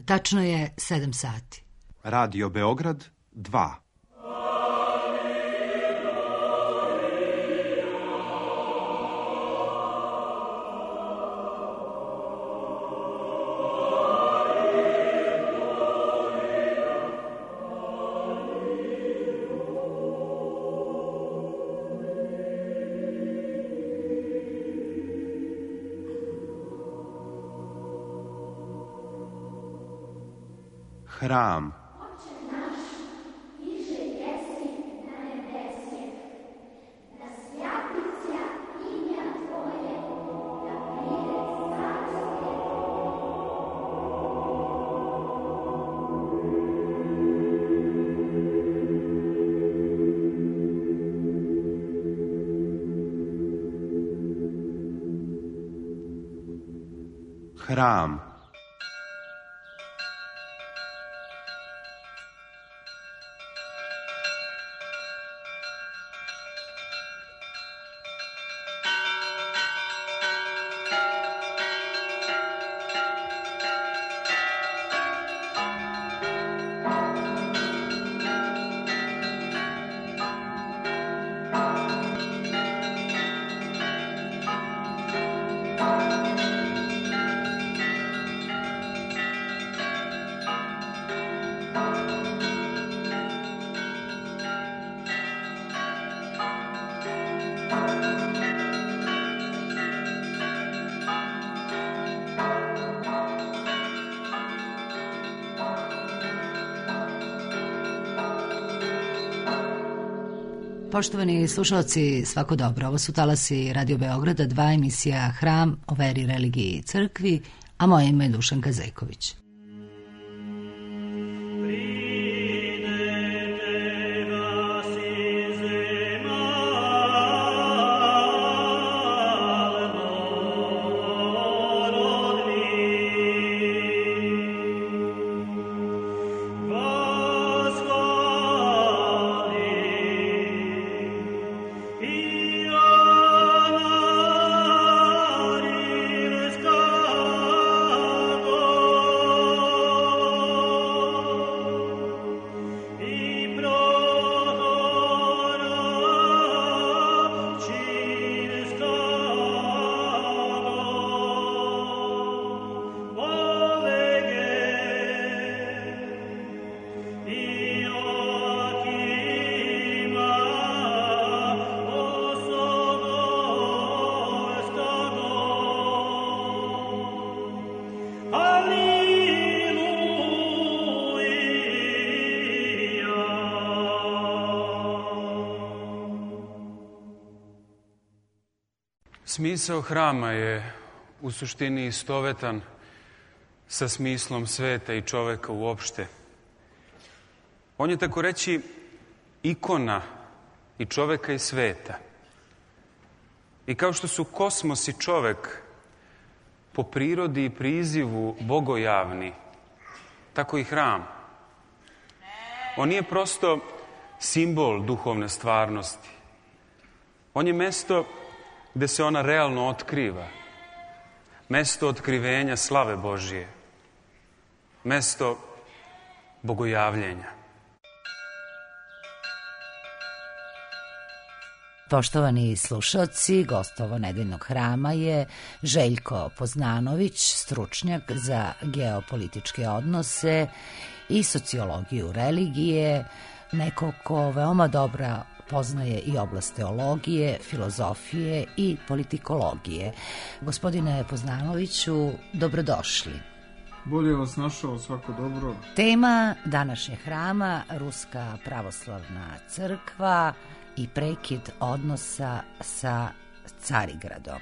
Tačno je 7 sati. Radio Beograd 2. Hram. Hram. Poštovani slušalci, svako dobro. Ovo su talasi Radio Beograda 2, emisija Hram o veri, religiji i crkvi, a moje ime je Dušanka Zejković. Smisao hrama je u suštini istovetan sa smislom sveta i čoveka uopšte. On je tako reći ikona i čoveka i sveta. I kao što su kosmos i čovek po prirodi i prizivu bogojavni, tako i hram. On nije prosto simbol duhovne stvarnosti. On je mesto gde se ona realno otkriva. Mesto otkrivenja slave Božije. Mesto bogojavljenja. Poštovani slušalci, gost ovo nedeljnog hrama je Željko Poznanović, stručnjak za geopolitičke odnose i sociologiju religije, neko ko veoma dobro poznaje i oblast teologije, filozofije i politikologije. Gospodine Poznanoviću, dobrodošli. Bolje vas našao, svako dobro. Tema današnjeg hrama, Ruska pravoslavna crkva i prekid odnosa sa Carigradom.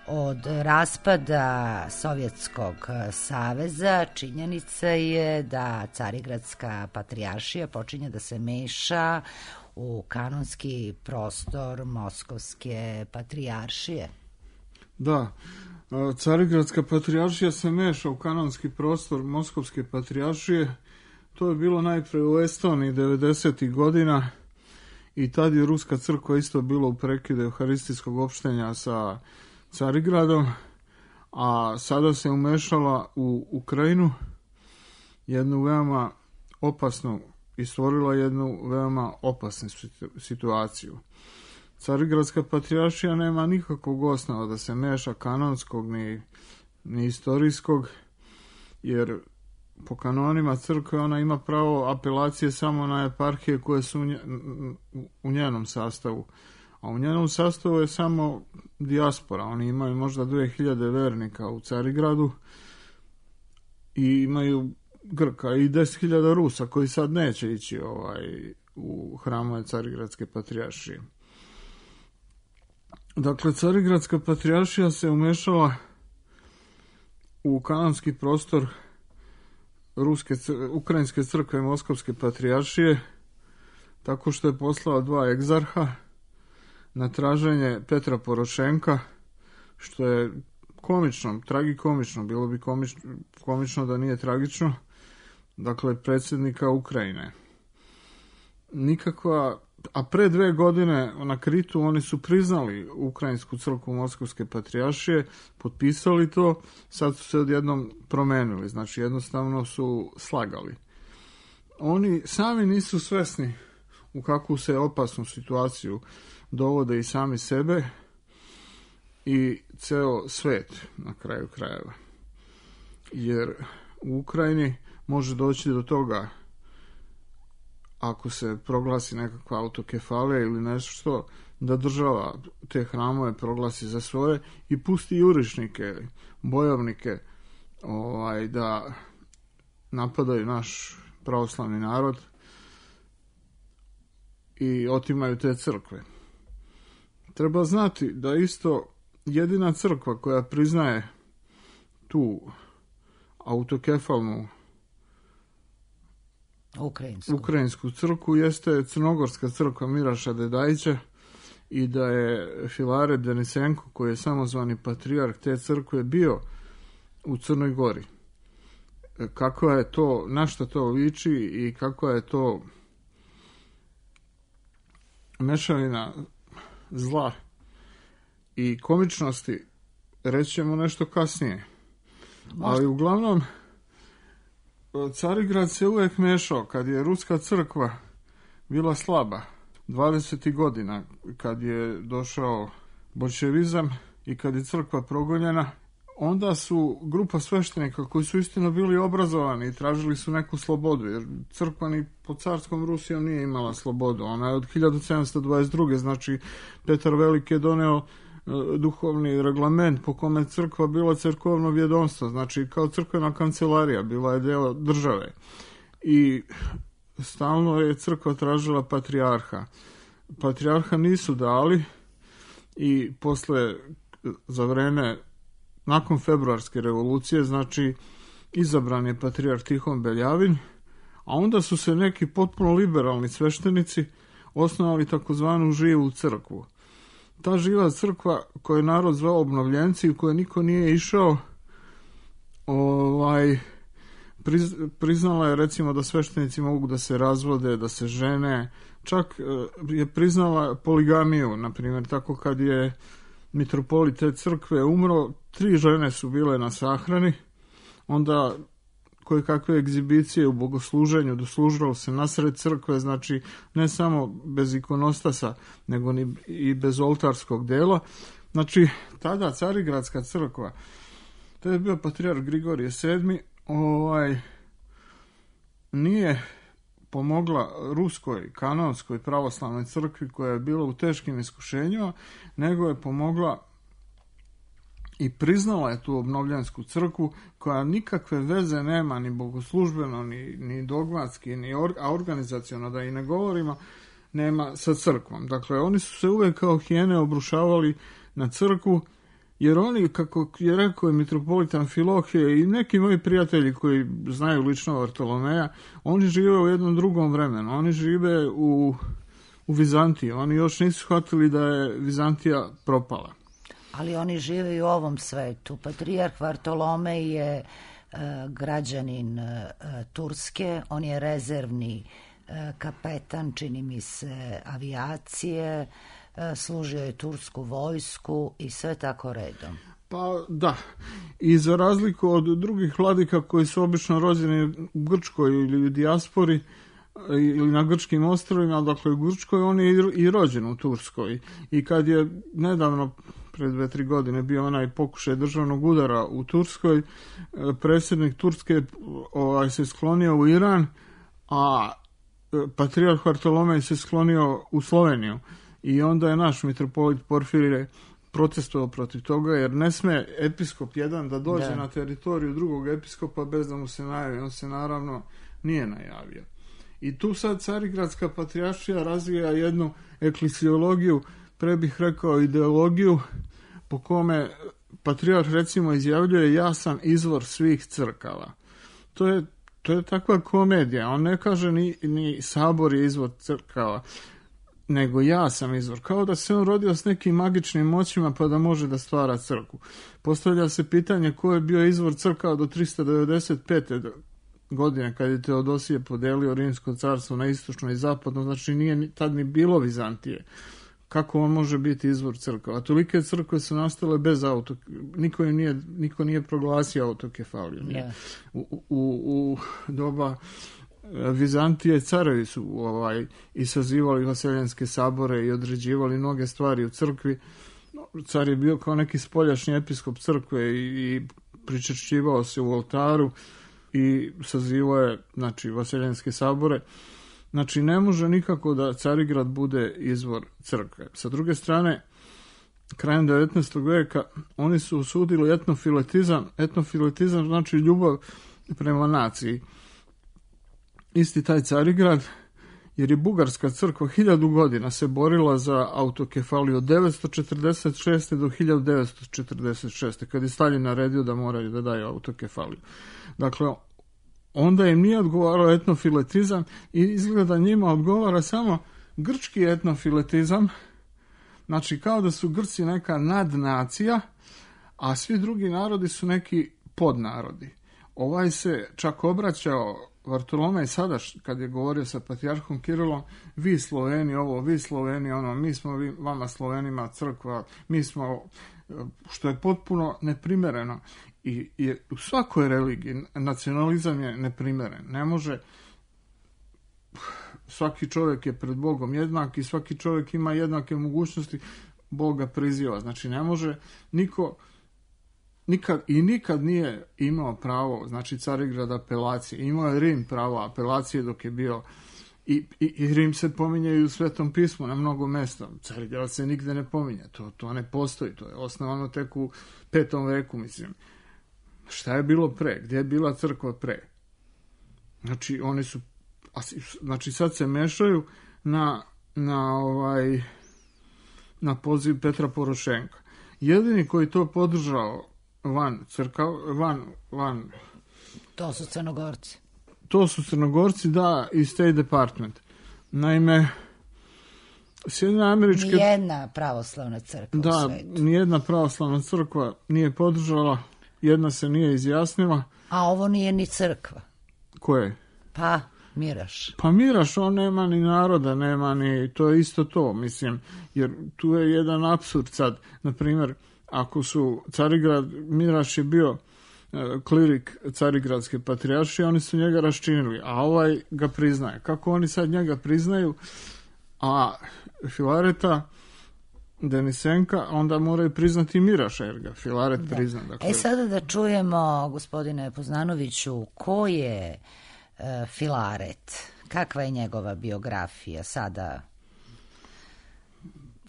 Od raspada Sovjetskog saveza činjenica je da Carigradska patrijaršija počinje da se meša u kanonski prostor Moskovske patrijaršije. Da, Carigradska patrijaršija se meša u kanonski prostor Moskovske patrijaršije. To je bilo najpre u Estoniji 90. godina i tad je Ruska crkva isto bila u prekidu euharistijskog opštenja sa Carigradom, a sada se umešala u Ukrajinu jednu veoma opasnu i stvorila jednu veoma opasnu situaciju. Carigradska patrijaršija nema nikakvog osnova da se meša kanonskog ni istorijskog, jer po kanonima crkve ona ima pravo apelacije samo na eparhije koje su u njenom sastavu. A u njenom sastavu je samo dijaspora. Oni imaju možda 2000 vernika u Carigradu i imaju Grka i 10.000 Rusa koji sad neće ići u hramove Carigradske patrijaršije. Dakle, Carigradska patrijaršija se umešala u kanonski prostor Ukrajinske crkve Moskovske patrijaršije tako što je poslala 2 egzarha na traženje Petra Porošenka, što je komično, tragikomično, bilo bi komično da nije tragično, dakle predsjednika Ukrajine. A pre 2 godine na Kritu oni su priznali Ukrajinsku crkvu Moskovske patrijaršije, potpisali to, sad su se odjednom promenili, znači jednostavno su slagali. Oni sami nisu svesni u kakvu se opasnu situaciju dovode i sami sebe i ceo svet na kraju krajeva. Jer u Ukrajini može doći do toga, ako se proglasi nekakva autokefalija ili nešto, da država te hramove proglasi za svoje i pusti jurišnike, bojovnike da napadaju naš pravoslavni narod i otimaju te crkve. Treba znati da isto jedina crkva koja priznaje tu autokefalnu ukrajinsku crkvu jeste Crnogorska crkva Miraša Dedajića i da je Filaret Denisenko, koji je samozvani patrijarh te crkve, bio u Crnoj Gori. Kako je to, na što to liči i kako je to mešavina zla i komičnosti, reći ćemo nešto kasnije. Ali uglavnom Carigrad se uvijek mešao kad je ruska crkva bila slaba. 20. godina kad je došao boljševizam i kad je crkva progonjena, onda su grupa sveštenika koji su istino bili obrazovani i tražili su neku slobodu, jer crkva ni pod carskom Rusijom nije imala slobodu. Ona je od 1722. znači Petar Veliki je doneo duhovni reglament po kome crkva bila crkveno vjedomstvo, znači kao crkvena kancelarija, bila je deo države. I stalno je crkva tražila patrijarha. Patrijarha nisu dali i za vreme nakon februarske revolucije, znači izabran je patrijarh Tihon Beljavin, a onda su se neki potpuno liberalni sveštenici osnovali takozvanu živu crkvu. Ta živa crkva koju je narod zvao obnovljenci, u kojoj niko nije išao, priznala je recimo da sveštenici mogu da se razvode, da se žene, čak je priznala poligamiju, na primjer, tako kad je mitropolit te crkve umro, 3 žene su bile na sahrani, onda koje kakve egzibicije u bogosluženju, doslužilo se nasred crkve, znači ne samo bez ikonostasa, nego i bez oltarskog dela. Znači, tada Carigradska crkva, to je bio patrijarh Grigorije VII, nije pomogla ruskoj kanonskoj pravoslavnoj crkvi koja je bila u teškim iskušenjima, nego je pomogla i priznala je tu obnovljensku crkvu koja nikakve veze nema ni bogoslužbeno, ni dogmatski, a organizaciono da i ne govorimo, nema sa crkvom. Dakle, oni su se uvijek kao hijene obrušavali na crkvu, jer oni, kako je rekao i mitropolitan Filohije i neki moji prijatelji koji znaju lično Vartolomeja, oni žive u jednom drugom vremenu. Oni žive u Vizantiji. Oni još nisu shvatili da je Vizantija propala. Ali oni žive i u ovom svetu. Patrijarh Vartolomej je građanin Turske, on je rezervni kapetan, čini mi se, avijacije, služio je tursku vojsku i sve tako redom. Pa da, i za razliku od drugih vladika koji su obično rođeni u Grčkoj ili u dijaspori ili na grčkim ostrvima, dakle u Grčkoj, on je i rođen u Turskoj. I kad je nedavno, pred 2-3 godine, bio onaj pokušaj državnog udara u Turskoj, predsjednik Turske se sklonio u Iran, a patrijarh Vartolomej se sklonio u Sloveniju. I onda je naš mitropolit Porfirije protestovao protiv toga, jer ne sme episkop jedan da dođe na teritoriju drugog episkopa bez da mu se najavi. On se naravno nije najavio. I tu sad Carigradska patrijaršija razvija jednu eklesiologiju, pre bih rekao ideologiju, po kome patrijarh recimo izjavljuje: ja sam izvor svih crkava. To je takva komedija. On ne kaže ni sabor je izvor crkava, nego ja sam izvor. Kao da se on rodio s nekim magičnim moćima pa da može da stvara crkvu. Postavlja se pitanje ko je bio izvor crkava do 395. godine, kad je Teodosije podelio Rimsko carstvo na istočno i zapadno, znači nije tad ni bilo Vizantije. Kako on može biti izvor crkava? Tolike crkve su nastale bez niko nije proglasio autokefaliju. U doba Vizantije carevi su i sazivali vaseljanske sabore i određivali mnoge stvari u crkvi. Car je bio kao neki spoljašnji episkop crkve i pričešćivao se u oltaru i sazivao je, znači, vaseljanske sabore. Znači, ne može nikako da Carigrad bude izvor crkve. Sa druge strane, krajem 19. veka oni su osudili etnofiletizam. Etnofiletizam znači ljubav prema naciji. Isti taj Carigrad, jer je bugarska crkva 1000 godina se borila za autokefaliju od 946. do 1946. kad je Stalin naredio da moraju da daju autokefaliju. Dakle, onda im nije odgovarao etnofiletizam i izgleda njima odgovara samo grčki etnofiletizam, znači kao da su Grci neka nadnacija, a svi drugi narodi su neki podnarodi. Ovaj se čak obraćao Vartolomej sada, kad je govorio sa patrijarhom Kirilom: vi Sloveni ovo, vi Sloveni ono, mi smo vama Slovenima crkva, mi smo, što je potpuno neprimereno. I u svakoj religiji nacionalizam je neprimeren. Ne može, svaki čovjek je pred Bogom jednak i svaki čovjek ima jednake mogućnosti, Boga priziva. Znači ne može niko nikad nije imao pravo, znači Carigrad apelacije. Imao je Rim pravo apelacije dok je bio i Rim se pominje i u Svetom pismu na mnogo mesta. Carigrad se nigde ne pominje. To ne postoji. To je osnovano tek u 5. veku, mislim. Šta je bilo pre? Gdje je bila crkva pre? Znači oni su, znači sad se mešaju na poziv Petra Porošenka. Jedini koji to podržao van to su Crnogorci. To su Crnogorci, da, i State Department. Naime, Sjedinjene Američke... Nijedna pravoslavna crkva u svetu. Da, nijedna pravoslavna crkva nije podržala, jedna se nije izjasnila. A ovo nije ni crkva. Koje? Pa, Miraš. Pa Miraš, on nema ni naroda, nema ni... To je isto to, mislim, jer tu je jedan apsurd sad. Naprimjer, ako su Carigrad, Miraš je bio klirik Carigradske patrijaršije, oni su njega raščinili, a ovaj ga priznaje. Kako oni sad njega priznaju, a Filareta, Denisenka, onda moraju priznati Miraša, jer ga Filaret prizna. Dakle... Sada da čujemo, gospodine Poznanoviću, ko je Filaret? Kakva je njegova biografija sada?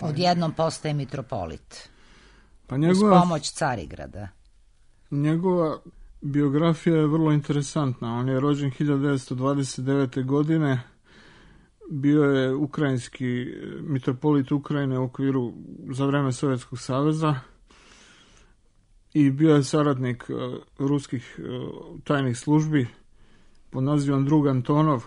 Odjednom postaje mitropolit. Uz pomoć Carigrada. Njegova biografija je vrlo interesantna. On je rođen 1929. godine. Bio je ukrajinski mitropolit Ukrajine u okviru za vreme Sovjetskog saveza i bio je saradnik ruskih tajnih službi pod nazivom Drug Antonov.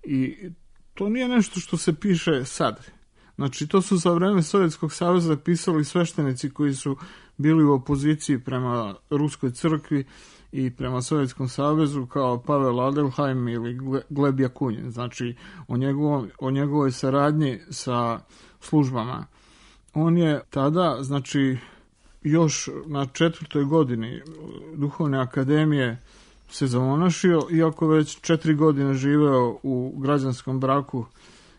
I to nije nešto što se piše sad. Znači, to su za vreme Sovjetskog saveza pisali sveštenici koji su bili u opoziciji prema Ruskoj crkvi i prema Sovjetskom savezu, kao Pavel Adelheim ili Gleb Jakunjin. Znači, o njegovoj saradnji sa službama. On je tada, znači, još na 4. godini Duhovne akademije se zamonašio, iako već 4 godine živeo u građanskom braku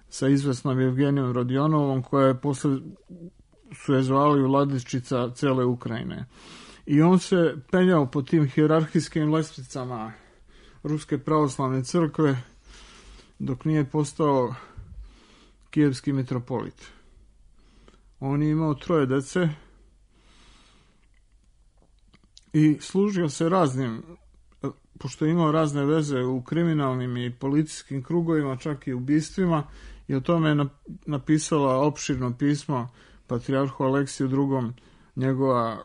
sa izvesnom Evgenijom Rodionovom, koja je posle su je zvali vladičica cele Ukrajine. I on se penjao po tim hijerarhijskim lestvicama Ruske pravoslavne crkve dok nije postao kijevski mitropolit. On je imao 3 dece i služio se raznim, pošto je imao razne veze u kriminalnim i policijskim krugovima, čak i ubistvima, i o tome je napisala opširno pismo patrijarhu Aleksiju II. Njegova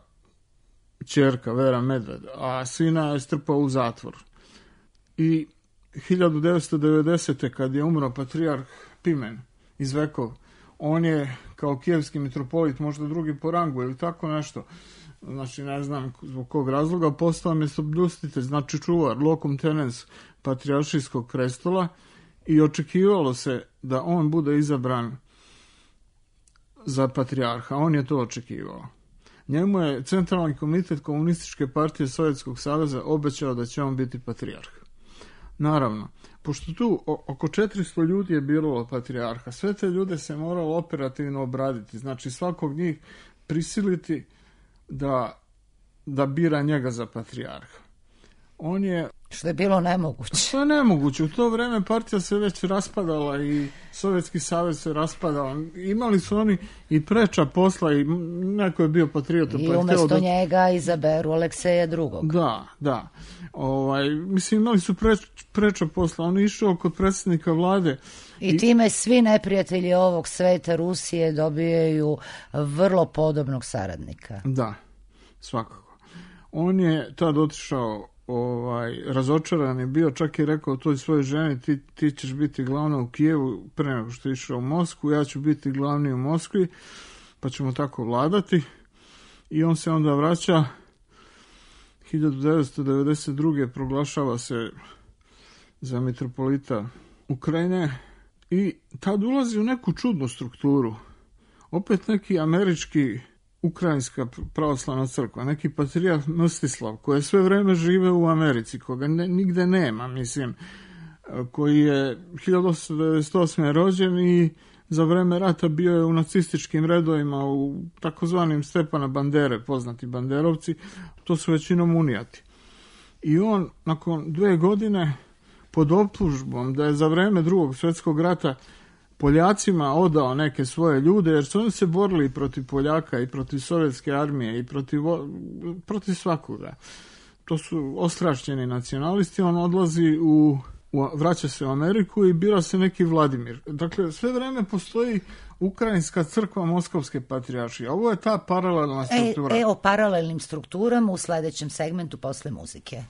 ćerka Vera Medved, a sina je strpao u zatvor. I 1990. kad je umro patrijarh Pimen iz Vekov, on je kao kijevski mitropolit, možda drugi po rangu ili tako nešto, znači ne znam zbog kog razloga, postao mjestobljustitelj, znači čuvar, locum tenens patrijaršijskog prestola, i očekivalo se da on bude izabran za patrijarha. On je to očekivao. Njemu je Centralni komitet Komunističke partije Sovjetskog saveza obećao da će on biti patrijarh. Naravno, pošto tu oko 400 ljudi je biralo patrijarha, sve te ljude se moralo operativno obraditi, znači svakog njih prisiliti da bira njega za patrijarha. On je... Što je bilo nemoguće. Što je nemoguće. U to vreme partija se već raspadala i Sovjetski savez se raspadao. Imali su oni i preča posla i neko je bio patriota. I umjesto njega izaberu Alekseja II. Da. Mislim, imali su preča posla. On je išao kod predsjednika vlade. I time svi neprijatelji ovog sveta Rusije dobijaju vrlo podobnog saradnika. Da, svakako. On je tad otišao razočaran je bio, čak je rekao toj svojoj ženi, ti ćeš biti glavna u Kijevu pre nego što je išao u Moskvu, ja ću biti glavni u Moskvi, pa ćemo tako vladati. I on se onda vraća, 1992. proglašava se za mitropolita Ukrajine i tad ulazi u neku čudnu strukturu. Opet neki američki Ukrajinska pravoslavna crkva, neki patrijarh Mstislav, koji je sve vreme žive u Americi, koga nigde nema, mislim, koji je 1898. rođen i za vreme rata bio je u nacističkim redovima, u takozvanim Stepana Bandere, poznati banderovci, to su većinom unijati. I on, nakon 2 godine, pod optužbom da je za vreme Drugog svjetskog rata Poljacima odao neke svoje ljude, jer su oni se borili protiv Poljaka i protiv sovjetske armije i protiv svakoga. To su ostrašćeni nacionalisti. On odlazi vraća se u Ameriku i bira se neki Vladimir. Dakle, sve vreme postoji Ukrajinska crkva Moskovske patrijaršije. Ovo je ta paralelna struktura. O paralelnim strukturama u sledećem segmentu posle muzike.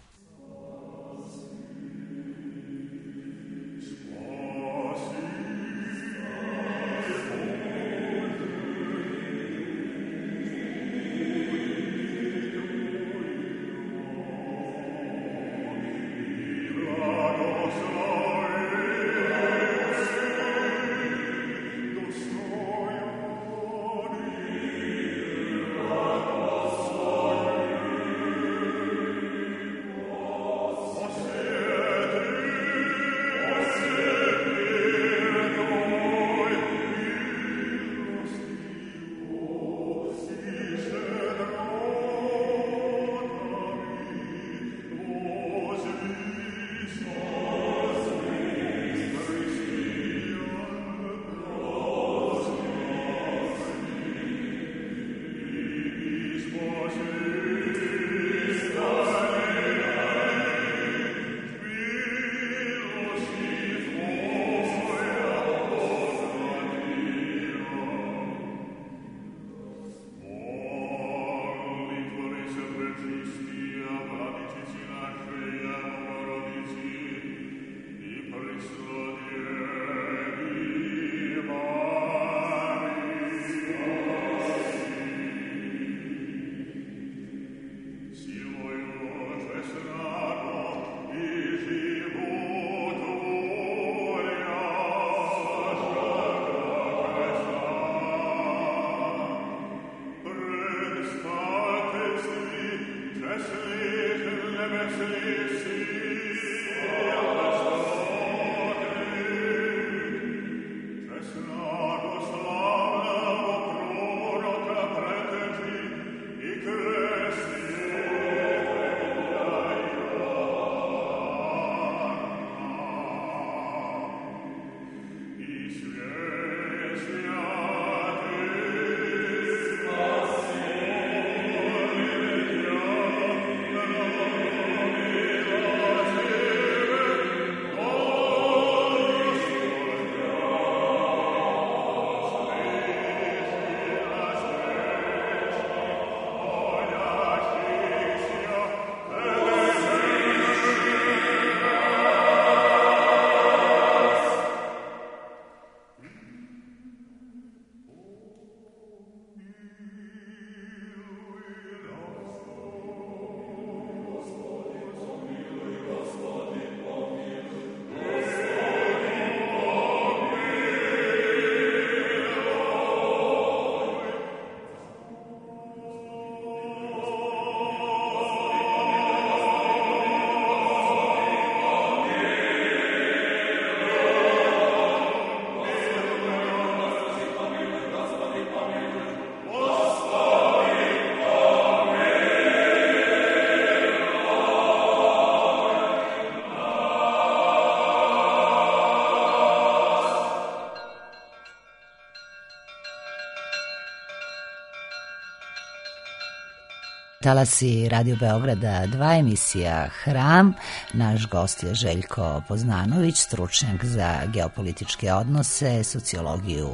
Talasi Radio Beograda 2, emisija Hram. Naš gost je Željko Poznanović, stručnjak za geopolitičke odnose, sociologiju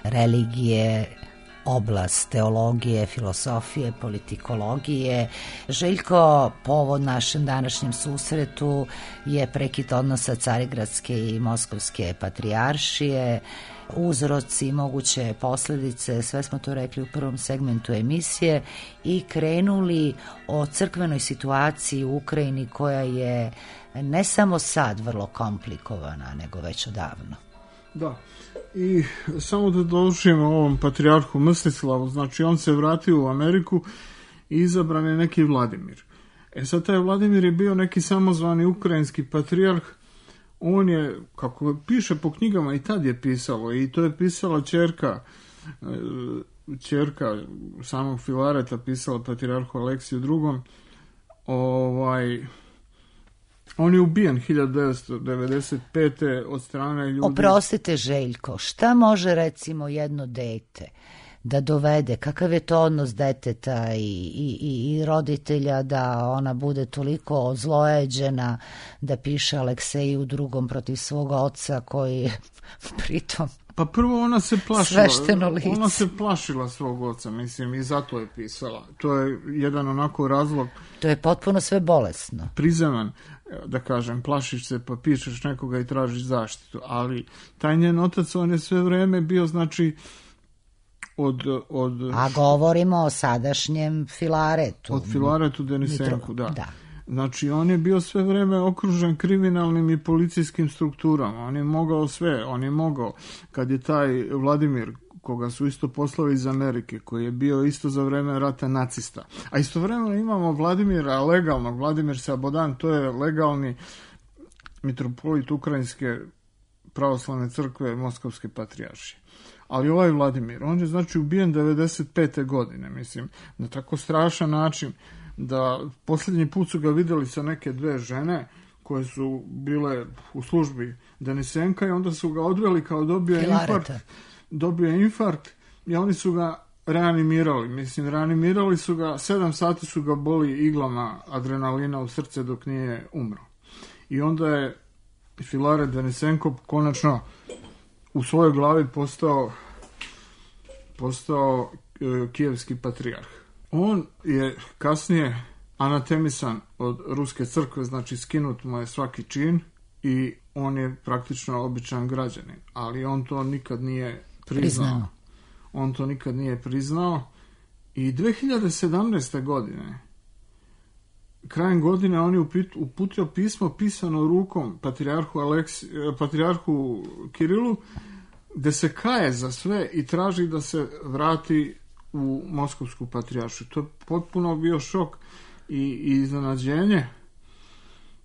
religije, oblast teologije, filosofije, politikologije. Željko, povod našem današnjem susretu je prekid odnosa Carigradske i Moskovske patrijaršije, uzroci i moguće posljedice, sve smo to rekli u prvom segmentu emisije, i krenuli o crkvenoj situaciji u Ukrajini koja je ne samo sad vrlo komplikovana, nego već odavno. Da, i samo da dovršimo ovom patrijarhu Mstislavu, znači on se vratio u Ameriku i izabran je neki Vladimir. Sad taj Vladimir je bio neki samozvani ukrajinski patrijarh. On je, kako piše po knjigama, i tad je pisalo, i to je pisala ćerka samog Filareta, pisala patrijarhu Aleksiju II. On je ubijen 1995. od strane ljudi. Oprostite, Željko, šta može recimo jedno dete da dovede, kakav je to odnos deteta i roditelja da ona bude toliko ozlojeđena da piše Alekseju II. Protiv svog oca koji pritom pa prvo ona se plašila, svešteno lice. Ona se plašila svog oca, mislim, i zato je pisala. To je jedan onako razlog. To je potpuno sve bolesno. Prizeman, da kažem, plašiš se pa pišeš nekoga i tražiš zaštitu, ali taj njen otac, on je sve vreme bio, znači, A govorimo o sadašnjem Filaretu. Od Filaretu Denisenku, da. Znači, on je bio sve vreme okružen kriminalnim i policijskim strukturama. On je mogao sve, kad je taj Vladimir, koga su isto poslali iz Amerike, koji je bio isto za vreme rata nacista. A istovremeno imamo Vladimira legalnog, Vladimir Sabodan, to je legalni mitropolit Ukrajinske pravoslavne crkve Moskovske patrijaršije. Ali ovaj Vladimir, on je znači ubijen 95. godine, mislim, na tako strašan način da posljednji put su ga vidjeli sa neke dve žene koje su bile u službi Denisenka i onda su ga odveli kao dobio je infarkt i oni su ga reanimirali su ga, 7 sati su ga boli iglama adrenalina u srce dok nije umro. I onda je Filaret Denisenko konačno u svojoj glavi postao kijevski patrijarh. On je kasnije anatemisan od ruske crkve, znači skinut mu je svaki čin i on je praktično običan građanin, ali on to nikad nije priznao. On to nikad nije priznao i 2017. godine, krajem godine, on je uputio pismo pisano rukom patrijarhu Kirilu, gde se kaje za sve i traži da se vrati u Moskovsku patrijaršiju. To je potpuno bio šok i iznenađenje.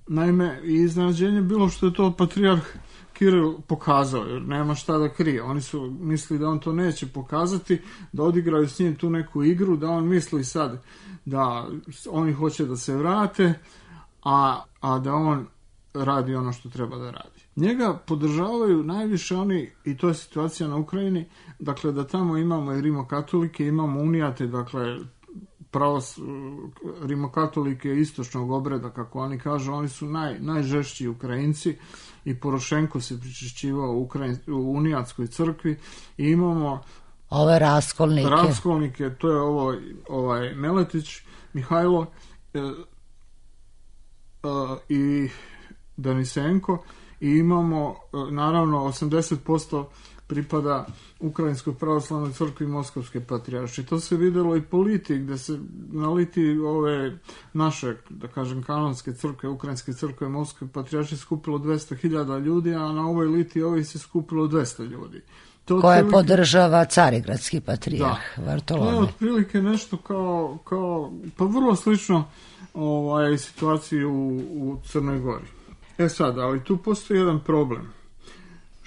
Naime, iznenađenje bilo što je to patrijarh Kiril pokazao, jer nema šta da krije. Oni su mislili da on to neće pokazati, da odigraju s njim tu neku igru, da on misli sad da oni hoće da se vrate, a da on radi ono što treba da radi. Njega podržavaju najviše oni, i to je situacija na Ukrajini, dakle da tamo imamo i rimokatolike, imamo unijate, dakle rimokatolike istočnog obreda, kako oni kažu, oni su najžešći Ukrajinci i Porošenko se pričešćivao u unijatskoj crkvi i imamo ove raskolnike, to je ovaj Meletić, Mihajlo i Denisenko i imamo naravno 80% pripada Ukrajinskoj pravoslavnoj crkvi Moskovske patrijaršije. To se vidjelo i po liti, gde se na liti ove naše, da kažem, kanonske crkve, Ukrajinske crkve Moskovske patrijaršije skupilo 200.000 ljudi, a na ovoj liti ovih se skupilo 200 ljudi. Koje podržava Carigradski patrijarh Vartolomej. To je otprilike nešto kao pa vrlo slično situaciji u Crnoj Gori. Sad, ali tu postoji jedan problem.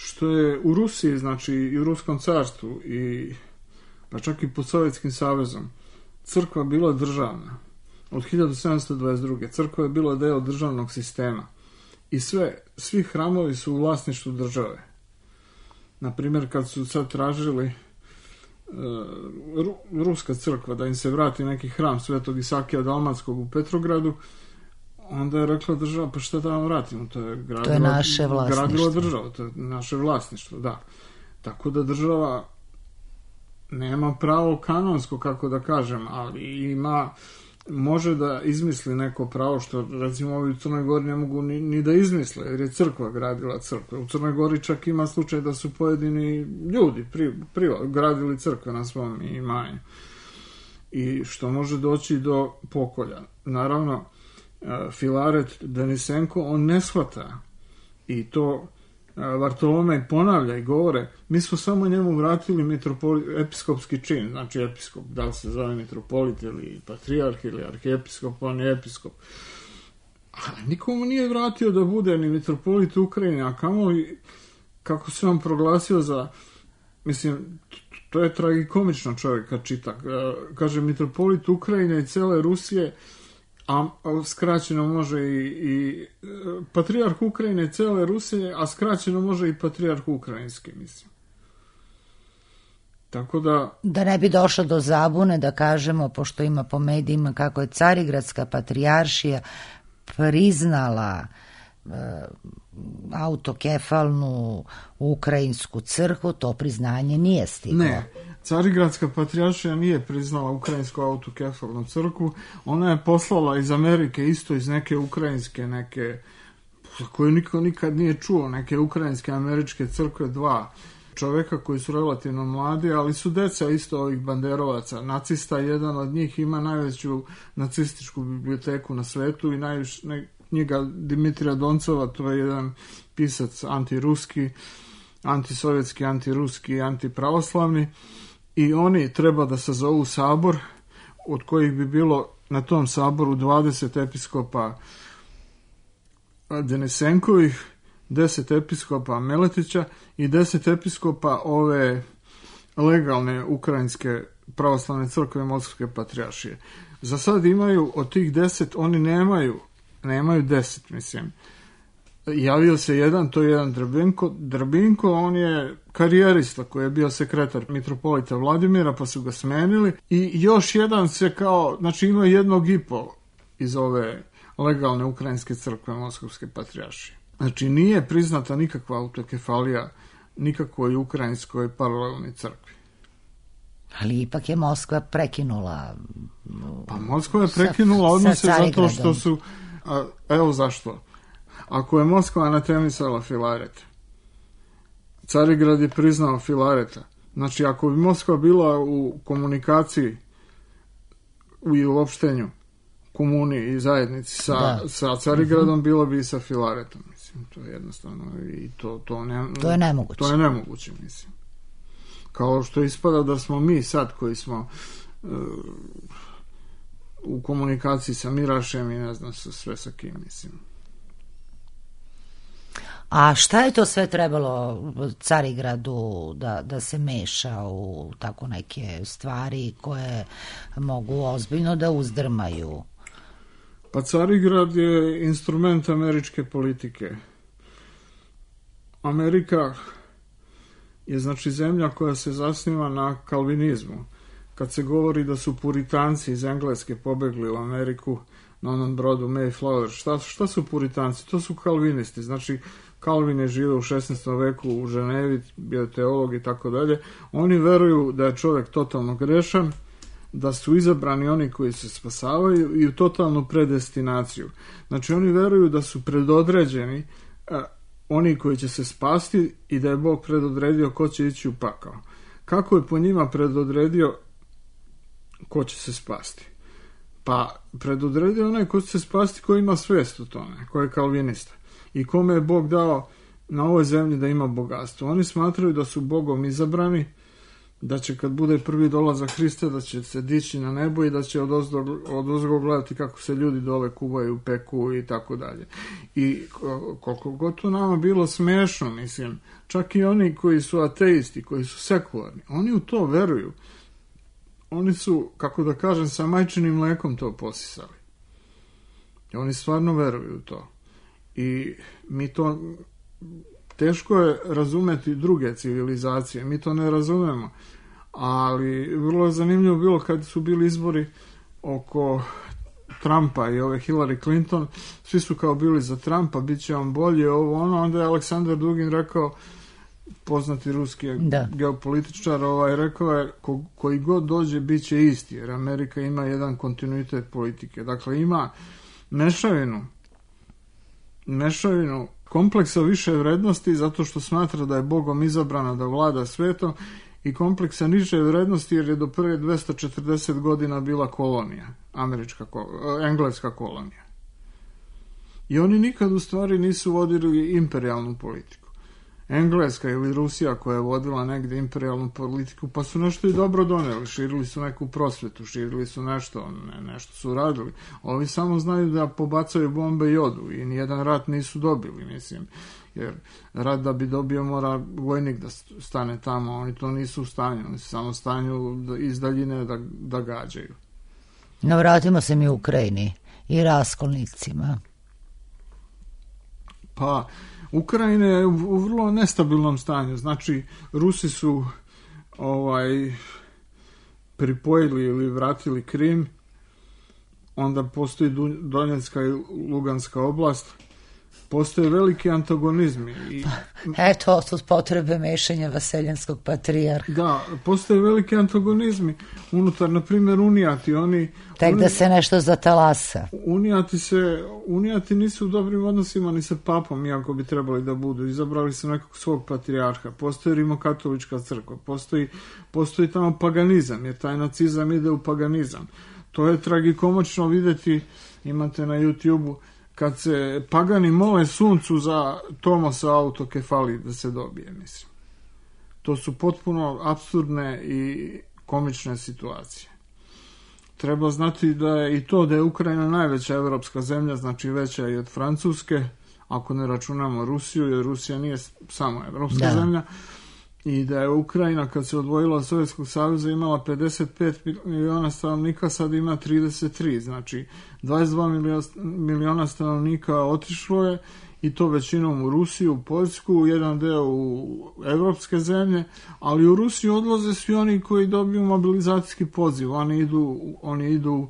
Što je u Rusiji, znači i u Ruskom carstvu pa čak i pod Sovjetskim savezom, crkva bila državna. Od 1722. crkva je bila deo državnog sistema. I svi hramovi su u vlasništvu države. Naprimjer, kad su sad tražili ruska crkva, da im se vrati neki hram Svetog Isakija Dalmatskog u Petrogradu, onda je rekla država, pa šta da vam vratimo, to je naše vlasništvo. Gradila država, to je naše vlasništvo, da. Tako da država nema pravo kanonsko, kako da kažem, ali može da izmisli neko pravo što, recimo, ovi u Crnoj Gori ne mogu ni da izmisle, jer je crkva gradila crkve. U Crnoj Gori čak ima slučaj da su pojedini ljudi gradili crkve na svom imanju. I što može doći do pokolja. Naravno, Filaret Denisenko, on ne shvata i to Vartolomej ponavlja i govore, mi smo samo njemu vratili episkopski čin, znači episkop, da li se zove mitropolit ili patrijarh ili arhiepiskop, on je episkop. Ali nikomu nije vratio da bude ni mitropolit Ukrajine, a kamoli kako se on proglasio za, mislim, to je tragikomično čovjek kad čita. Kaže, mitropolit Ukrajine i cele Rusije, a skraćeno može i patrijarh Ukrajine i cele Rusije, a skraćeno može i patrijarh ukrajinski, mislim. Tako da ne bi došlo do zabune, da kažemo, pošto ima po medijima kako je Carigradska patrijaršija priznala autokefalnu ukrajinsku crkvu, to priznanje nije stiglo. Ne, Carigradska patrijaršija nije priznala ukrajinsku autokefalnu crkvu, ona je poslala iz Amerike, isto iz neke ukrajinske, neke koje niko nikad nije čuo, neke ukrajinske američke crkve, 2 čoveka koji su relativno mladi, ali su deca isto ovih banderovaca, nacista. Jedan od njih ima najveću nacističku biblioteku na svetu i knjiga Dimitrija Doncova, to je jedan pisac antiruski, antisovjetski, antiruski, antipravoslavni, i oni treba da sazovu sabor, od kojih bi bilo na tom saboru 20 episkopa Denisenkovih, 10 episkopa Meletića i 10 episkopa ove legalne ukrajinske pravoslavne crkve Moskvske patrijaršije. Za sad imaju od tih 10, oni nemaju 10, mislim. Javio se jedan, to je jedan Drbinko, on je karijerista koji je bio sekretar mitropolita Vladimira, pa su ga smenili, i još jedan se znači ima 1,5 iz ove legalne ukrajinske crkve Moskovske patrijaršije. Znači nije priznata nikakva autokefalija nikakvoj ukrajinskoj paralelnoj crkvi. Ali ipak je Moskva prekinula. Pa Moskva je prekinula odnose zato što su, evo zašto. Ako je Moskva anatemisala Filaret, Carigrad je priznao Filareta. Znači, ako bi Moskva bila u komunikaciji i u opštenju, komuniji i zajednici sa Carigradom, bilo bi i sa Filaretom. Mislim, to je jednostavno i to je nemoguće. To je nemoguće, mislim. Kao što ispada da smo mi sad koji smo u komunikaciji sa Mirašem i ne znam sve sa kim, mislim. A šta je to sve trebalo Carigradu da se meša u tako neke stvari koje mogu ozbiljno da uzdrmaju? Pa Carigrad je instrument američke politike. Amerika je znači zemlja koja se zasniva na kalvinizmu. Kad se govori da su puritanci iz Engleske pobegli u Ameriku na onom brodu Mayflower, šta su puritanci? To su kalvinisti. Znači, Kalvin je živio u 16. veku u Ženevi, bio teolog i tako dalje. Oni veruju da je čovjek totalno grešan, da su izabrani oni koji se spasavaju i u totalnu predestinaciju. Znači, oni veruju da su predodređeni oni koji će se spasti i da je Bog predodredio ko će ići u pakao. Kako je po njima predodredio ko će se spasti? Pa predodredio onaj ko će se spasti koji ima svest u tome, koji je kalvinista i kome je Bog dao na ovoj zemlji da ima bogatstvo. Oni smatraju da su Bogom izabrani, da će kad bude prvi dolazak Hrista da će se dići na nebo i da će odozgo gledati kako se ljudi dole kuvaju, peku i tako dalje. I koliko god to nama bilo smiješno, mislim, čak i oni koji su ateisti, koji su sekularni, oni u to veruju. Oni su, kako da kažem, sa majčinim mlekom to posisali. Oni stvarno veruju u to. I mi to, teško je razumeti druge civilizacije, mi to ne razumemo, Ali vrlo je zanimljivo bilo kad su bili izbori oko Trumpa i ove Hillary Clinton, svi su kao bili za Trumpa, bit će on bolje, ovo ono, onda je Aleksandar Dugin rekao, poznati ruski geopolitičar, rekao je koji god dođe bit će isti, jer Amerika ima jedan kontinuitet politike. Dakle, ima mešavinu kompleksa više vrednosti zato što smatra da je Bogom izabrana da vlada svetom i kompleksa niže vrednosti jer je do prve 240 godina bila kolonija, engleska kolonija. I oni nikad u stvari nisu vodili imperijalnu politiku. Engleska ili Rusija koja je vodila negdje imperijalnu politiku, pa su nešto i dobro doneli, širili su neku prosvetu, širili su nešto su radili. Ovi samo znaju da pobacaju bombe i odu i nijedan rat nisu dobili, mislim. Jer rat da bi dobio mora vojnik da stane tamo, oni to nisu u stanju, oni su samo u stanju iz daljine da gađaju. No, vratimo se mi u Ukrajini i raskolnicima. Pa, Ukrajina je u vrlo nestabilnom stanju, znači Rusi su pripojili ili vratili Krim, onda postoji Donjecka i Luganska oblast, postoje veliki antagonizmi. Eto, su potrebe mešanja vaseljanskog patrijarha. Da, postoje veliki antagonizmi unutar, na primjer, Unijati. Da se nešto zatalasa. Unijati nisu u dobrim odnosima ni sa papom, iako bi trebali da budu. Izabrali su nekog svog patrijarha. Postoji rimokatolička crkva. Postoji tamo paganizam, jer taj nacizam ide u paganizam. To je tragikomično vidjeti, imate na YouTube-u, kad se pagani mole suncu za Tomosa autokefalije da se dobije, mislim. To su potpuno apsurdne i komične situacije. Treba znati da je i to da je Ukrajina najveća evropska zemlja, znači veća i od Francuske, ako ne računamo Rusiju, jer Rusija nije samo evropska zemlja, i da je Ukrajina kad se odvojila od Sovjetskog saveza imala 55 miliona stanovnika, sad ima 33, znači 22 miliona stanovnika otišlo je i to većinom u Rusiju, u Poljsku, jedan deo u evropske zemlje, ali u Rusiju odlaze svi oni koji dobiju mobilizacijski poziv, oni idu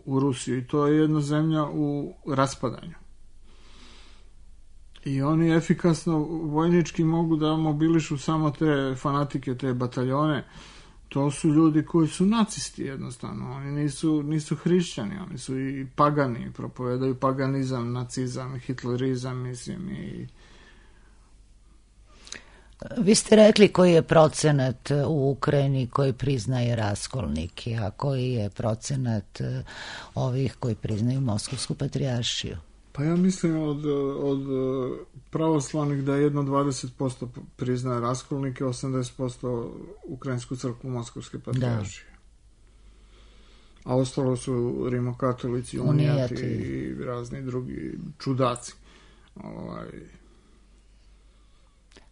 u Rusiju i to je jedna zemlja u raspadanju. I oni efikasno vojnički mogu da mobilišu samo te fanatike, te bataljone. To su ljudi koji su nacisti jednostavno. Oni nisu hrišćani, oni su i pagani, propovedaju paganizam, nacizam, hitlerizam, mislim. Vi ste rekli koji je procenat u Ukrajini koji priznaje raskolnike, a koji je procenat ovih koji priznaju Moskovsku patrijaršiju? Pa ja mislim od pravoslavnih da jedno 20% priznaje raskolnike, 80% Ukrajinsku crkvu Moskovske patrijaršije. A ostalo su rimokatolici, unijati i razni drugi čudaci.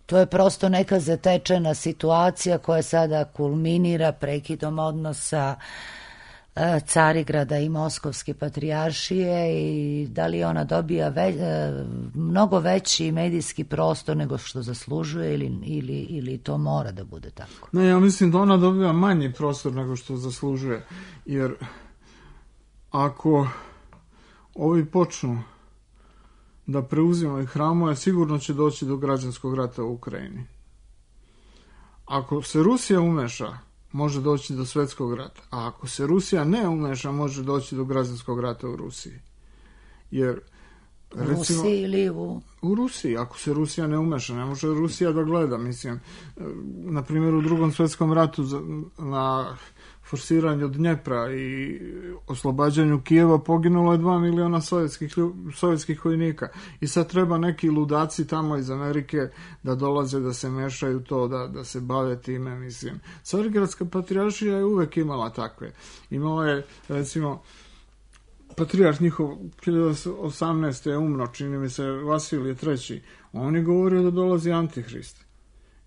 To je prosto neka zatečena situacija koja sada kulminira prekidom odnosa Carigrada i Moskovske patrijaršije i da li ona dobija mnogo veći medijski prostor nego što zaslužuje ili to mora da bude tako? Ne, ja mislim da ona dobija manji prostor nego što zaslužuje, jer ako ovi počnu da preuzimaju hramove, sigurno će doći do građanskog rata u Ukrajini. Ako se Rusija umeša, može doći do svjetskog rata. A ako se Rusija ne umeša, može doći do građanskog rata u Rusiji. Jer, recimo, Rusiji ili u Rusiji, ako se Rusija ne umeša, ne može Rusija da gleda, mislim. Na primjer, u Drugom svjetskom ratu na forsiranju Dnjepra i oslobađanju Kijeva poginulo je 2 miliona sovjetskih vojnika. I sad treba neki ludaci tamo iz Amerike da dolaze, da se mešaju to, da se bave time, mislim. Carigradska patrijaršija je uvek imala takve. Imala je, recimo, patrijarh njihov 1018. je umro, čini mi se Vasilije III. On je govorio da dolazi Antihrist.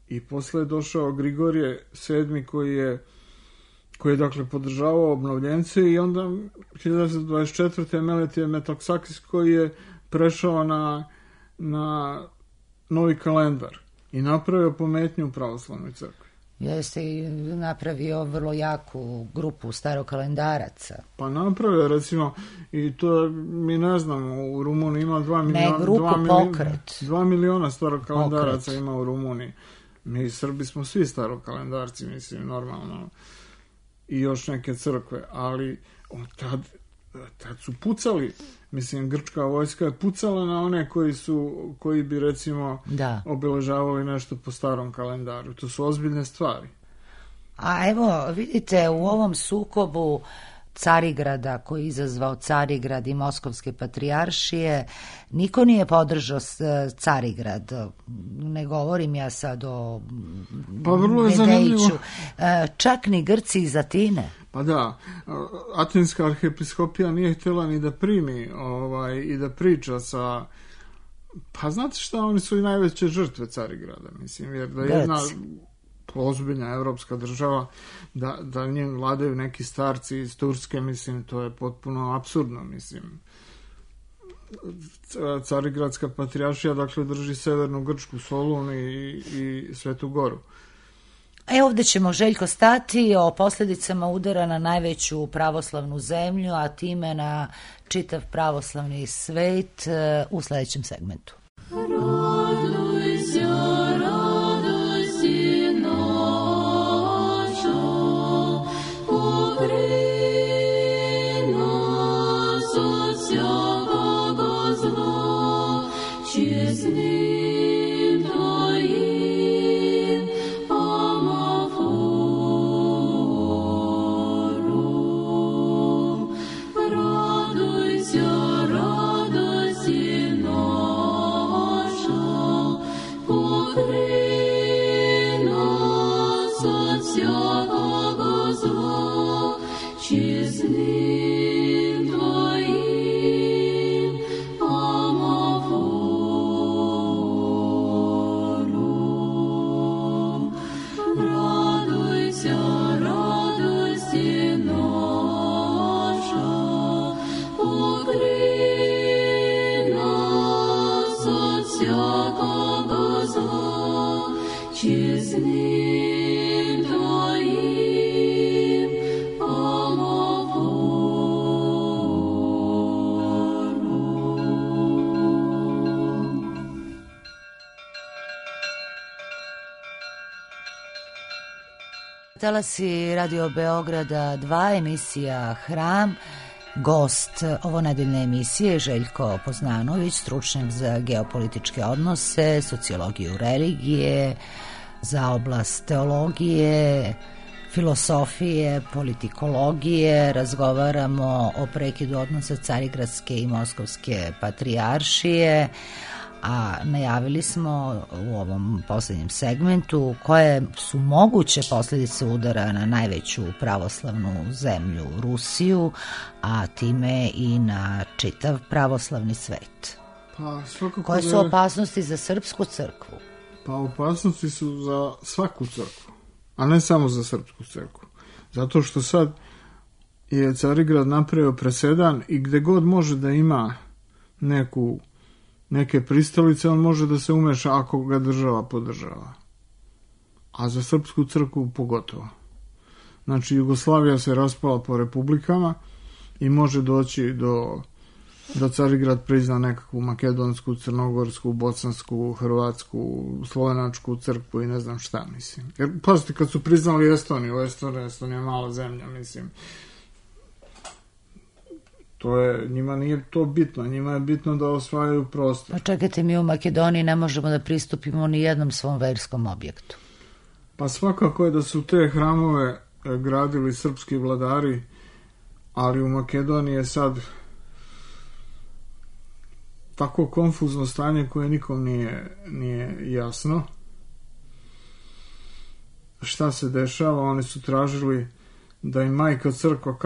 I posle je došao Grigorije VII. koji je dakle podržavao obnovljence i onda 1924. Meletije Metoksakis koji je prešao na novi kalendar i napravio pometnju u pravoslavnoj crkvi. Jeste i napravio vrlo jaku grupu starokalendaraca. Pa napravio, recimo, i to mi ne znamo, u Rumuniji ima 2 miliona starokalendaraca ima u Rumuniji. Mi Srbi smo svi starokalendarci, mislim, normalno. I još neke crkve, ali tad su pucali, mislim, grčka vojska je pucala na one koji bi, recimo, obeležavali nešto po starom kalendaru. To su ozbiljne stvari. A evo, vidite, u ovom sukobu Carigrada, koji je izazvao Carigrad i Moskovske patrijaršije, niko nije podržao Carigrad. Ne govorim ja sad o Medejiću. Čak ni Grci iz Atine. Pa da, Atinska arhiepiskopija nije htjela ni da primi i da priča sa... Pa znate šta, oni su i najveće žrtve Carigrada, mislim, jer da jedna ozbiljna evropska država, da njen vladaju neki starci iz Turske, mislim, to je potpuno apsurdno, mislim. Carigradska patrijaršija, dakle, drži severnu Grčku, Solun i Svetu Goru. Ovdje ćemo, Željko, stati o posljedicama udara na najveću pravoslavnu zemlju, a time na čitav pravoslavni svet u sljedećem segmentu. Talasi Radio Beograda 2, emisija Hram. Gost ovo nedeljne emisije je Željko Poznanović, stručnjak za geopolitičke odnose, sociologiju religije, za oblast teologije, filosofije, politikologije. Razgovaramo o prekidu odnosa Carigradske i Moskovske patrijaršije, a najavili smo u ovom posljednjem segmentu koje su moguće posljedice udara na najveću pravoslavnu zemlju Rusiju, a time i na čitav pravoslavni svet. Koje su opasnosti za srpsku crkvu? Pa opasnosti su za svaku crkvu, a ne samo za srpsku crkvu. Zato što sad je Carigrad napravio presedan i gde god može da ima neke pristalice, on može da se umeša ako ga država podržava. A za srpsku crkvu pogotovo. Znači, Jugoslavija se raspala po republikama i može doći da Carigrad prizna nekakvu makedonsku, crnogorsku, bosansku, hrvatsku, slovenačku crkvu i ne znam šta, mislim. Jer, pazite, kad su priznali Estoniju, Estonija je mala zemlja, mislim. Njima nije to bitno, njima je bitno da osvajaju prostor. Pa čekajte, mi u Makedoniji ne možemo da pristupimo ni jednom svom verskom objektu. Pa svakako je da su te hramove gradili srpski vladari, ali u Makedoniji je sad tako konfuzno stanje koje nikom nije jasno. Šta se dešava? Oni su tražili da im majka crkva,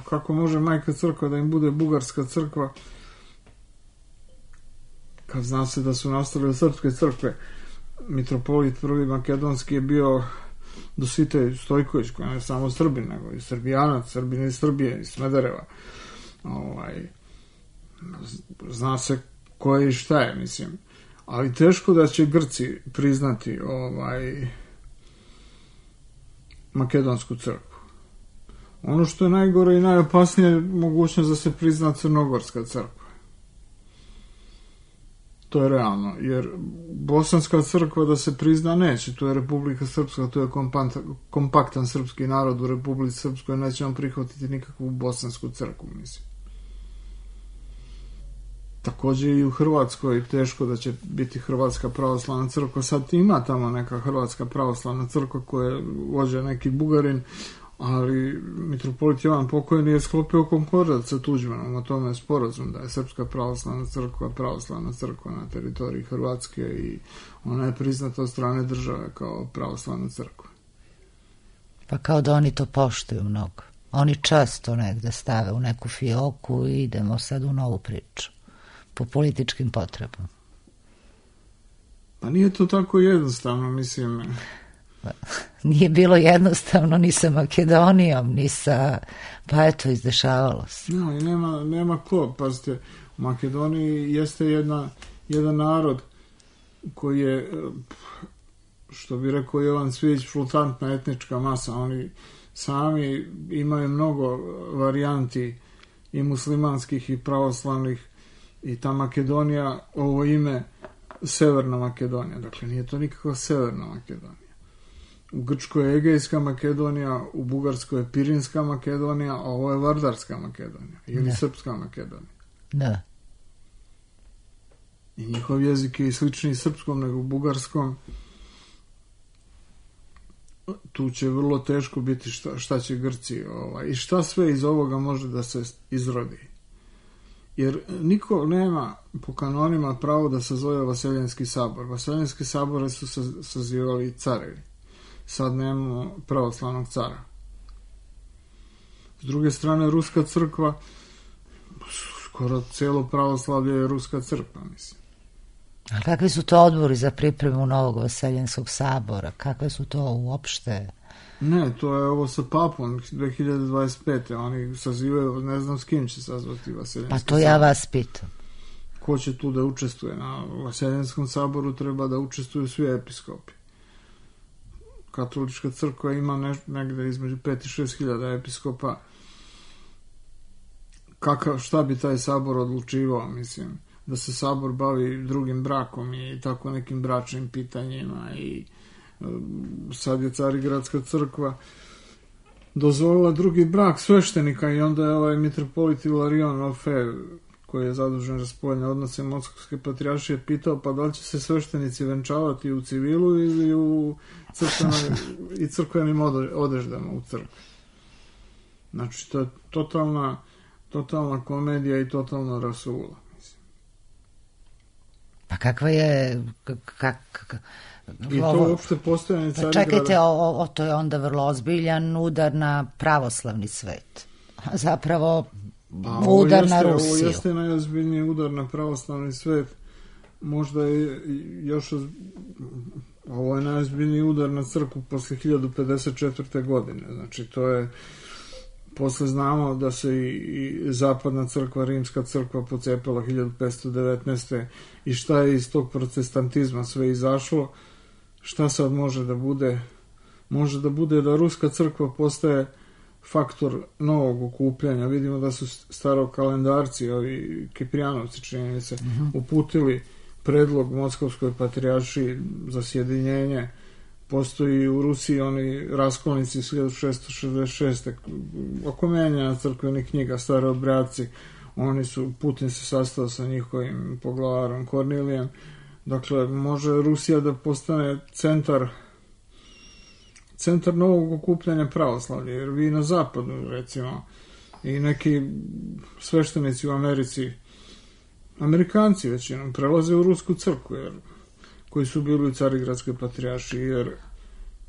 kako može majka crkva da im bude bugarska crkva, kad zna se da su nastali od srpske crkve. Mitropolit prvi makedonski je bio Dositej Stojković, koji je samo Srbin, nego i Srbijanac, Srbin iz Srbije, iz Smedereva. Zna se ko je i šta je, mislim. Ali teško da će Grci priznati makedonsku crkvu. Ono što je najgore i najopasnije je mogućnost da se prizna crnogorska crkva. To je realno, jer bosanska crkva da se prizna neće, to je Republika Srpska, to je kompaktan srpski narod u Republici Srpskoj, neće on prihvatiti nikakvu bosansku crkvu, mislim. Također i u Hrvatskoj teško da će biti Hrvatska pravoslavna crkva. Sad ima tamo neka Hrvatska pravoslavna crkva koja vođe neki Bugarin, ali mitropolit Jovan Pokojni je sklopio konkordat sa Tuđmanom, o tome je sporazum da je Srpska pravoslavna crkva na teritoriji Hrvatske i ona je priznata od strane države kao pravoslavna crkva. Pa kao da oni to poštuju mnogo. Oni često negde stave u neku fioku i idemo sad u novu priču. Po političkim potrebama. Pa nije to tako jednostavno, mislim. Nije bilo jednostavno ni sa Makedonijom, ni sa... Pa eto, izdešavalo se. No, i nema ko, pazite, u Makedoniji jeste jedan narod koji je, što bi rekao Jovan Cvijić, flutantna etnička masa. Oni sami imaju mnogo varijanti i muslimanskih i pravoslavnih. I ta Makedonija, ovo ime Severna Makedonija, dakle nije to nikakva Severna Makedonija. U Grčkoj je Egejska Makedonija, u Bugarskoj je Pirinska Makedonija, a ovo je Vardarska Makedonija ili Srpska Makedonija. Da. I njihov jezik je i sličniji srpskom nego bugarskom. Tu će vrlo teško biti šta će Grci i šta sve iz ovoga može da se izrodi. Jer niko nema po kanonima pravo da sazove Vaseljenski sabor. Vaseljenski sabore su sazivali carevi. Sad nemamo pravoslavnog cara. S druge strane, Ruska crkva, skoro cijelo pravoslavlje je Ruska crkva, mislim. A kakvi su to odbori za pripremu novog Vaseljenskog sabora? Kakve su to uopšte? Ne, to je ovo sa papom 2025. Oni sazivaju, ne znam s kim će sazvati Vaseljenski sabor. Pa to ja vas pitam. Ko će tu da učestvuje? Na Vaseljenskom saboru treba da učestvuju svi episkopi. Katolička crkva ima negde između 5 i 6 hiljada episkopa. Šta bi taj sabor odlučivao, mislim? Da se sabor bavi drugim brakom i tako nekim bračnim pitanjima i sad je Carigradska crkva dozvolila drugi brak sveštenika i onda je ovaj mitropolit Ilarion Orfej, koji je zadužen za spoljne odnose Moskovske patrijaršije, pitao pa da li će se sveštenici venčavati u civilu ili u crkvenim odeždama u crkvi. Znači to je totalna komedija i totalna rasula. Pa kakva je... I to uopšte postojanje Carigrada... Čekajte, to je onda vrlo ozbiljan udar na pravoslavni svet. Zapravo udar na Rusiju. Ovo jeste najozbiljniji udar na pravoslavni svet. Možda je još... Ovo je najozbiljniji udar na crkvu posle 1054. godine. Znači, to je... Posle znamo da se i zapadna crkva, rimska crkva pocepala 1519. I šta je iz tog protestantizma sve izašlo, šta sad može da bude? Može da bude da ruska crkva postaje faktor novog okupljanja. Vidimo da su starokalendarci, ovi Kiprijanovci činjenice, uputili predlog Moskovskoj patrijaršiji za sjedinjenje. Postoji u Rusiji oni raskolnici 1666. oko menjanja crkvenih knjiga, stare obradci. Putin se sastao sa njihovim poglavarom Kornilijem. Dakle, može Rusija da postane centar novog okupljanja pravoslavlja, jer vi na zapadu, recimo, i neki sveštenici u Americi, Amerikanci većinom, prelaze u rusku crkvu, jer koji su bili u Carigradskoj patrijaršiji, jer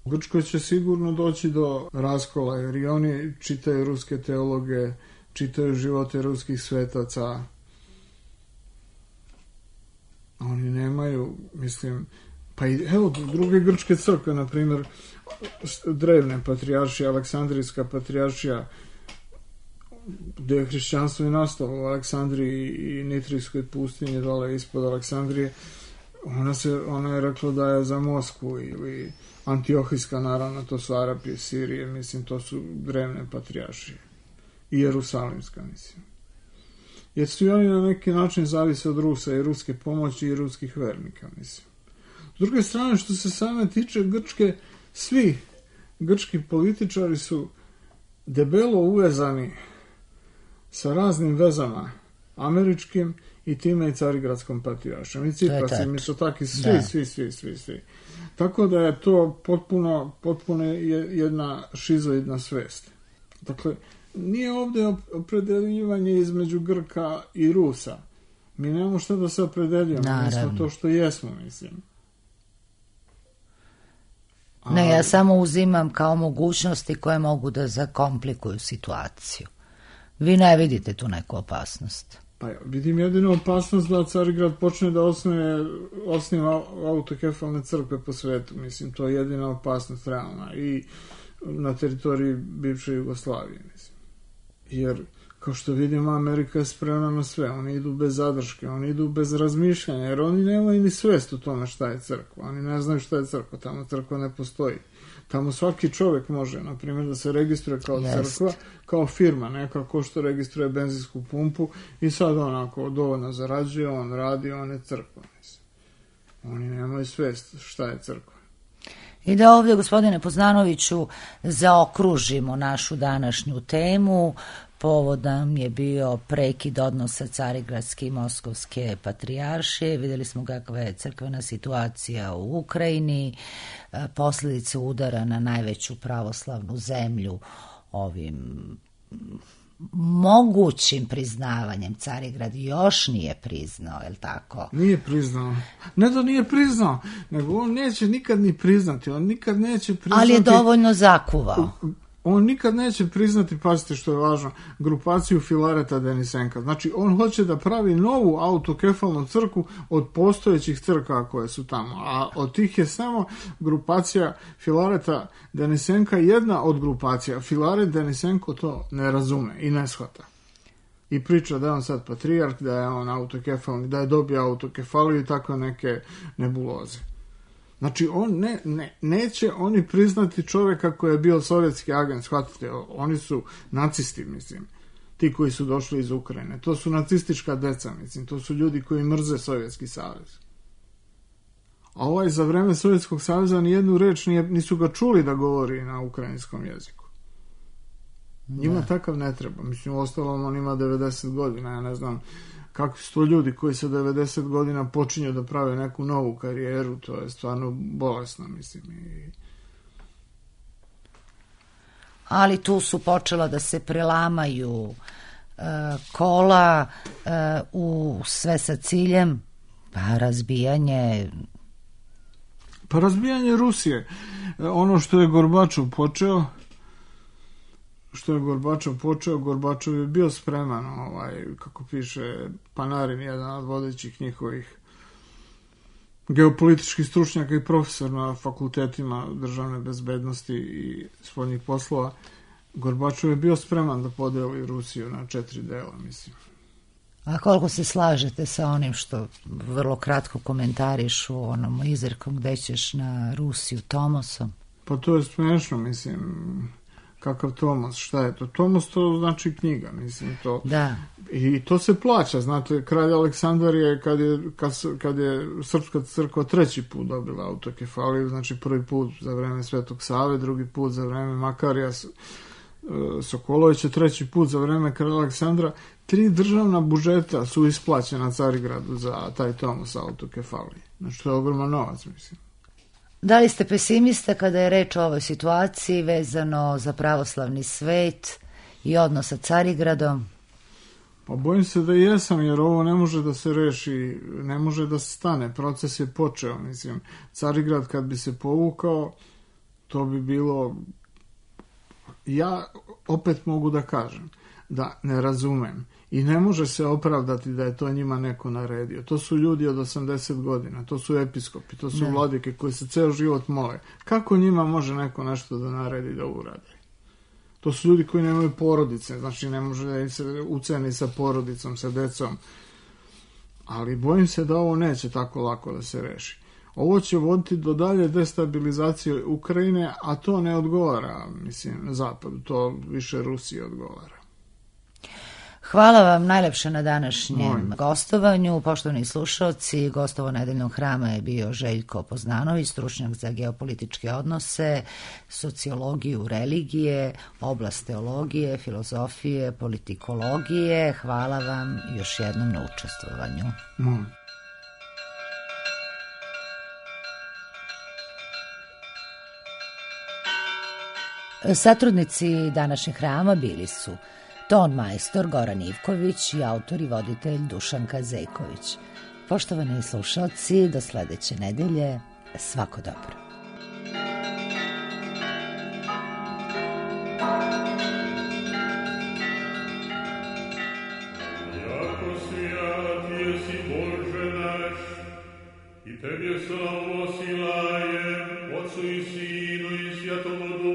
u Grčkoj će sigurno doći do raskola, jer i oni čitaju ruske teologe, čitaju živote ruskih svetaca. Oni nemaju, mislim, pa i evo druge grčke crkve, na primjer, drevne patrijaršije, Aleksandrijska patrijaršija, gdje je hrišćanstvo i nastalo u Aleksandriji i Nitrijskoj pustinji, dole ispod Aleksandrije, Ona je rekla da je za Moskvu ili Antiohijska, naravno, to su Arapije, Sirije, mislim, to su drevne patrijaršije. I Jerusalimska, mislim. Jer su i oni na neki način zavise od Rusa i ruske pomoći i ruskih vernika, mislim. S druge strane, što se same tiče Grčke, svi grčki političari su debelo uvezani sa raznim vezama američkim i time i Carigradskom patrijaršom. I Ciprasim, i Sotaki, svi. Tako da je to potpuno jedna šizoidna svest. Dakle, nije ovdje opredeljivanje između Grka i Rusa. Mi nemamo šta da se opredeljujemo. Mi smo to što jesmo, mislim. Ne, ja samo uzimam kao mogućnosti koje mogu da zakomplikuju situaciju. Vi ne vidite tu neku opasnost? Pa ja vidim jedinu opasnost da Carigrad počne da osniva autokefalne crkve po svetu. Mislim, to je jedina opasnost realna i na teritoriji bivše Jugoslavije, mislim. Jer, kao što vidimo, Amerika je spremna na sve. Oni idu bez zadrške, oni idu bez razmišljanja, jer oni nemaju ni svest u tome šta je crkva. Oni ne znaju šta je crkva, tamo crkva ne postoji. Tamo svaki čovjek može, na primjer, da se registruje kao crkva, kao firma, neka ko što registruje benzinsku pumpu i sad onako dovoljno zarađuje, on radi, on je crkva. Mislim. Oni nemaju svest šta je crkva. I da ovdje, gospodine Poznanoviću, zaokružimo našu današnju temu. Povod nam je bio prekid odnosa Carigradske i Moskovske patrijaršije. Vidjeli smo kakva je crkvena situacija u Ukrajini, posljedice udara na najveću pravoslavnu zemlju ovim mogućim priznavanjem. Carigrad još nije priznao, je li tako? Nije priznao. Ne da nije priznao, nego on neće nikad ni priznati. On nikad neće priznati... Ali je dovoljno zakuvao. On nikad neće priznati, pazite što je važno, grupaciju Filareta Denisenka. Znači, on hoće da pravi novu autokefalnu crkvu od postojećih crkava koje su tamo. A od tih je samo grupacija Filareta Denisenka jedna od grupacija. Filaret Denisenko to ne razume i ne shvata. I priča da je on sad patrijarh, da je on autokefalni, da je dobio autokefaliju i tako neke nebuloze. Znači, on neće oni priznati čovjeka koji je bio sovjetski agent, shvatite, oni su nacisti, mislim, ti koji su došli iz Ukrajine. To su nacistička deca, mislim, to su ljudi koji mrze Sovjetski savez. A ovaj za vreme Sovjetskog saveza nijednu reč nisu ga čuli da govori na ukrajinskom jeziku. Njima takav ne treba. Mislim, u ostalom on ima 90 godina, ja ne znam kakvi su to ljudi koji sa 90 godina počinju da prave neku novu karijeru, to je stvarno bolesno, mislim. Ali tu su počela da se prelamaju kola u sve sa ciljem razbijanje Rusije. Ono što je Gorbačov počeo, Gorbačov je bio spreman, kako piše Panarin, jedan od vodećih njihovih geopolitičkih stručnjaka i profesor na fakultetima državne bezbednosti i spoljnih poslova. Gorbačov je bio spreman da podeli Rusiju na 4 dela, mislim. A koliko se slažete sa onim što vrlo kratko komentarišu onom izrekom gde ćeš na Rusiju Tomosom? Pa to je smešno, mislim. Kakav Tomos, šta je to? Tomos to znači knjiga, mislim to. Da. I to se plaća, znate, kralj Aleksandar je, kad je Srpska crkva 3. put dobila autokefaliju, znači prvi put za vreme Svetog Save, drugi put za vreme Makarija Sokolovića, 3. put za vreme kralja Aleksandra, 3 državna budžeta su isplaćena Carigradu za taj Tomos autokefalije. Znači to je ogroman novac, mislim. Da li ste pesimista kada je reč o ovoj situaciji vezano za pravoslavni svet i odnos sa Carigradom? Pa bojim se da jesam, jer ovo ne može da se reši, ne može da se stane. Proces je počeo, mislim. Carigrad kad bi se povukao, to bi bilo... Ja opet mogu da kažem da ne razumem i ne može se opravdati da je to njima neko naredio. To su ljudi od 80 godina, to su episkopi, to su vladike koji se ceo život mole. Kako njima može neko nešto da naredi da urade? To su ljudi koji nemaju porodice, znači ne može da im se uceni sa porodicom, sa decom. ali bojim se da ovo neće tako lako da se reši. Ovo će voditi do dalje destabilizacije Ukrajine, a to ne odgovara, mislim, Zapadu, to više Rusiji odgovara. Hvala vam najlepše na današnjem gostovanju. Poštovani slušalci, gostovo Nedeljnog hrama je bio Željko Poznanović, stručnjak za geopolitičke odnose, sociologiju, religije, oblast teologije, filozofije, politikologije. Hvala vam još jednom na učestvovanju. Satrudnici današnjeg hrama bili su ton majstor Goran Ivković i autor i voditelj Dušanka Zejković. Poštovani slušalci, do sledeće nedelje, svako dobro. Jako svijat jesi Bože naš, i Tebje slavu osilajem, Otcu i Sinu i Svjatomu